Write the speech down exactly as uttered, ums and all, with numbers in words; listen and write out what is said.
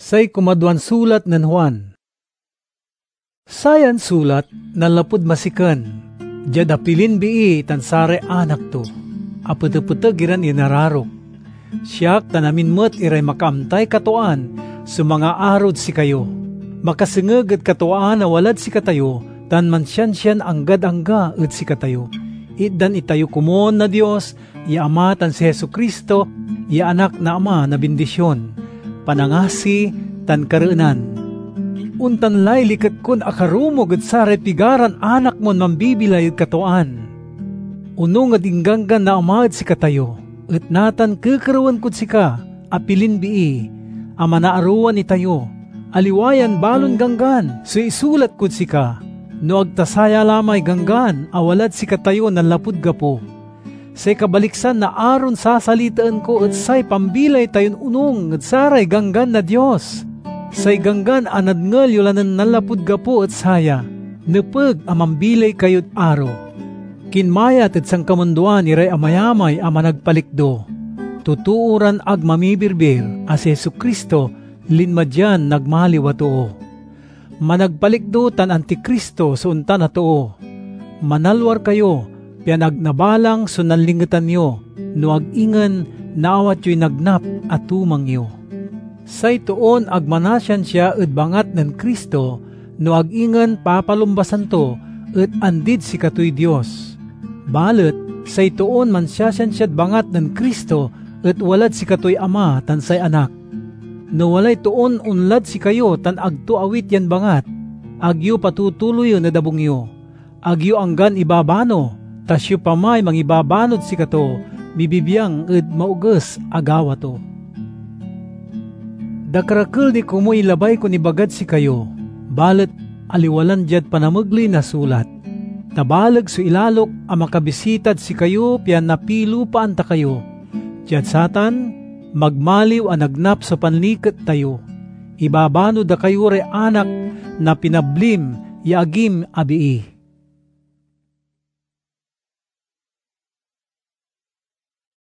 Say kumadwan sulat nen Juan. Sayan sulat nanlapud masiken, diad apilin bii tan saray anak to. Apetepeteg iran inararok. Siak tan amin met iray makaamtay katwaan so mangaarod sikayo. Makasengeg ed katwaan a walad sikatayo tan mansiansian anggad angga ed sikatayo. Itdan itayo komun na Dios ya Ama tan si Jesu-Cristo ya Anak na Ama na bindision, panangasi, tan kareenan. Ontan lay liket kon akarumog ed saray pigaran anak mon mambibilay ed katwaan. Onung ed ingganggan na Ama ed sikatayo, et natan kekerewen kod sika, apilin bii, a manaarowan itayo, aliwa yan balon ganggan so isulat kod sika, no ag ta saya la may ganggan a walad sikatayo nanlapud gapo. Say kabaliksan na aron sasalitaen ko et say pambilay tayon onung ed saray ganggan na Dios. Say ganggan a nadngel yo la nen nanlapud gapo et saya, nepeg a mambilay kayod aro. Kinmayat ed sankamundoan iray amayamay a managpalikdo, totoo ran ag mamibirbir a si Jesu-Cristo linma dian nagmaliw a too. Managpalikdo tan antikristo so ontan a too. Manalwar kayo, pian ag nabalang so nanlingetan yo, no ag ingen naawat yoy nagnap a tumang yo. Say toon ag manasiansia ed bangat nen Cristo, no ag ingen papalumbasan to et andid sikatoy Dios. Balet say toon mansiasiansiad bangat nen Cristo et walad sikatoy Ama tan say Anak. No walay toon onlad sikayo tan ag to awit yan bangat, ag yo patutuloyen ed abung yo. Ag yo anggan ibabano, ta siopamay mangibabanod sikato mibibiang ed maoges a gawa to. Dakerakel ni komuy labay kon ibagad sikayo, balet aliwa lan diad panamegley na sulat. Ta baleg so ilalok a makabisitad sikayo pian napilupaan ta kayo. Diad satan, magmaliw a nagnap so panliket tayo. Ibabano da kayo ray anak na pinablim ya agim a bii.